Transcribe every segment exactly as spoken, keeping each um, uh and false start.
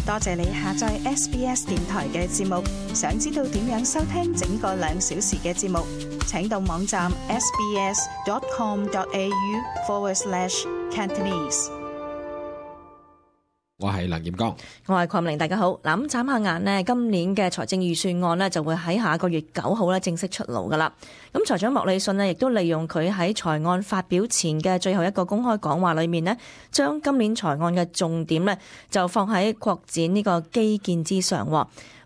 多謝你下載 S B S 電台嘅節目。想知道點樣收聽整個兩小時嘅節目，請到網站 sbs.com.au forward slash Cantonese。我係梁炎光，我係鄺玲，大家好。嗱，咁眨下眼呢，今年嘅財政預算案呢就會喺下個月九號呢正式出爐噶啦。咁財長莫里遜呢亦都利用佢喺財案發表前嘅最後一個公開講話裏面呢，將今年財案嘅重點呢就放喺擴展呢個基建之上。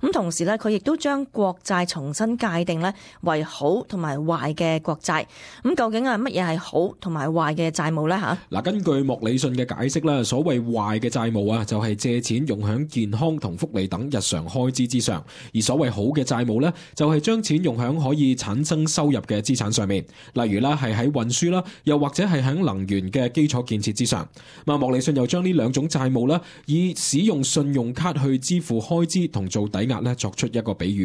咁同時呢，佢亦都將國債重新界定呢為好同埋壞嘅國債。咁究竟係乜嘢係好同埋壞嘅債務呢？吓，嗱，根據莫里遜嘅解釋啦，所謂壞嘅債務啊，就係借錢用喺健康同福利等日常開支之上；而所謂好嘅債務呢，就係將錢用喺可以產生收入嘅資產上面，例如啦係喺運輸啦，又或者係喺能源嘅基礎建設之上。咁莫里遜又將呢兩種債務啦，以使用信用卡去支付開支同做抵押咧，作出一個比喻。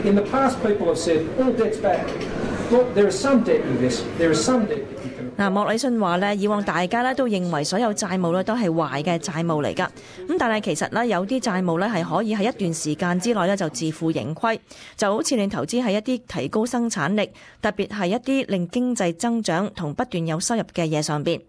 In the past, people have said all debt's bad. Look, there is some debt in this. There is some debt. 嗱，莫里遜話咧，以往大家咧都認為所有債務咧都係壞嘅債務嚟㗎。咁但係其實咧有啲債務咧係可以喺一段時間之內咧就自負盈虧，就好似你投資喺一啲提高生產力，特別係一啲令經濟增長同不斷有收入嘅嘢上邊。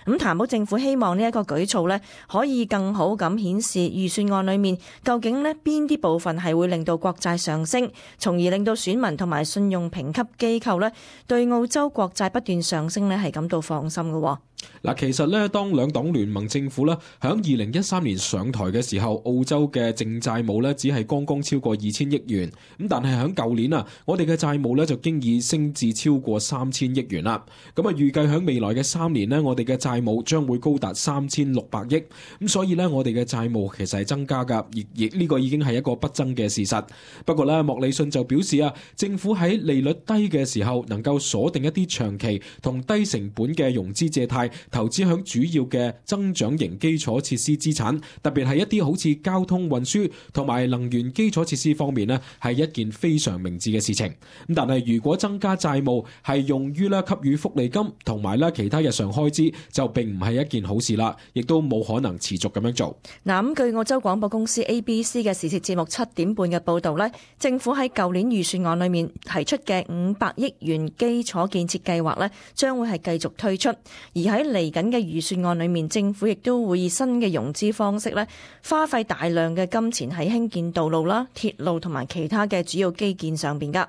咁譚保政府希望呢一個舉措呢可以更好咁顯示預算案裏面究竟呢邊啲部分係會令到國債上升，從而令到選民同埋信用評級機構呢對澳洲國債不斷上升呢係感到放心嘅。嗱，其實咧，當兩黨聯盟政府咧響二零一三年上台嘅時候，澳洲嘅淨債務咧只係剛剛超過二千億元，咁但係響舊年啊，我哋嘅債務咧就經已升至超過三千億元啦。咁啊，預計響未來嘅三年呢，我哋嘅債務將會高達三千六百億，咁所以呢，我哋嘅債務其實係增加噶，而亦呢個已經係一個不爭嘅事實。不過咧，莫里遜就表示啊，政府喺利率低嘅時候，能夠鎖定一啲長期同低成本嘅融資借貸，投資響主要嘅增長型基礎設施資產，特別係一啲好似交通運輸同埋能源基礎設施方面呢，係一件非常明智嘅事情。咁但係如果增加債務係用於咧給予福利金同埋咧其他日常開支，就並唔係一件好事啦，亦都冇可能持續咁樣做。嗱，咁據澳洲廣播公司 A B C 嘅時事節目七點半嘅報導呢，政府喺舊年預算案裏面提出嘅五百億元基礎建設計劃呢，將會係繼續推出，而喺嚟緊嘅預算案裏面，政府亦都會以新嘅融資方式咧，花費大量嘅金錢喺興建道路啦、鐵路同埋其他嘅主要基建上邊噶。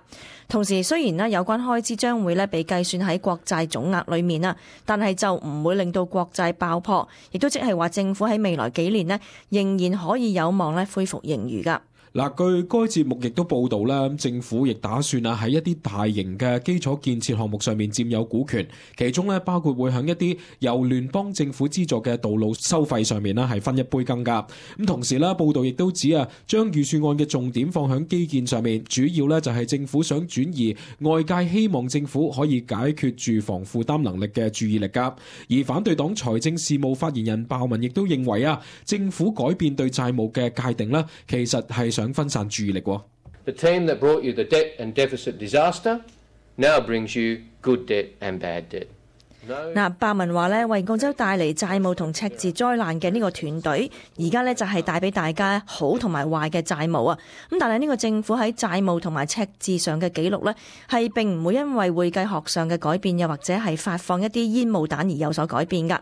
同時，雖然咧有關開支將會咧被計算喺國債總額裏面啦，但係就唔會令到國債爆破，亦都即係話政府喺未來幾年咧仍然可以有望咧恢復盈餘噶。嗱，據該節目亦都報道啦，政府亦打算啊喺一啲大型嘅基礎建設項目上面佔有股權，其中咧包括會響一啲由聯邦政府資助嘅道路收費上面啦係分一杯羹噶。咁同時咧，報道亦都指啊，將預算案嘅重點放響基建上面，主要咧就係政府想轉移外界希望政府可以解決住房負擔能力嘅注意力噶。而反對黨財政事務發言人鮑文亦都認為啊，政府改變對債務嘅界定咧，其實係想分散注意力。The team that brought you the debt and deficit disaster now brings you good debt and bad debt. 嗱，鮑文話咧，為澳洲帶嚟債務同赤字災難嘅呢個團隊，而家咧就係帶俾大家好同埋壞嘅債務啊。咁但係呢個政府喺債務同埋赤字上嘅記錄咧，係並唔會因為會計學上嘅改變，又或者係發放一啲煙霧彈而有所改變噶。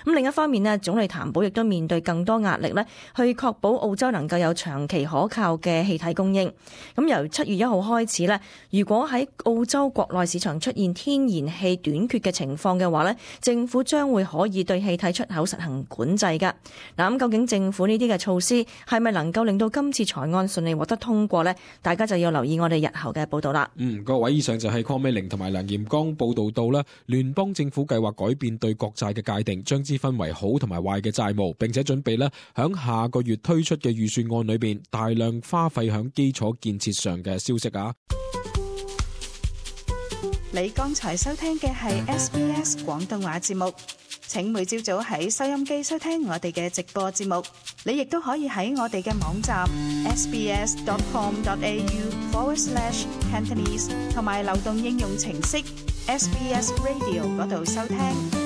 咁另一方面咧，總理譚保亦都面對更多壓力咧，去確保澳洲能夠有長期可靠嘅氣體供應。咁由七月一號開始咧，如果喺澳洲國內市場出現天然氣短缺嘅情況嘅話咧，政府將會可以對氣體出口實行管制噶。嗱，咁究竟政府呢啲嘅措施係咪能夠令到今次財案順利獲得通過呢？大家就要留意我哋日後嘅報道啦。嗯，各位，以上就係鄺美玲同埋梁炎光報道到啦，聯邦政府計劃改變對國債嘅界定，將之分為好同埋壞嘅債務，並且準備咧響下個月推出嘅預算案裏邊大量花費響基礎建設上嘅消息啊。你剛才收聽嘅係 S B S 廣東話節目，請每朝早喺收音機收聽我哋嘅直播節目。你亦都可以喺我哋嘅網站 sbs.com.au forward slash Cantonese 同埋流動應用程式 S B S Radio 嗰度收聽。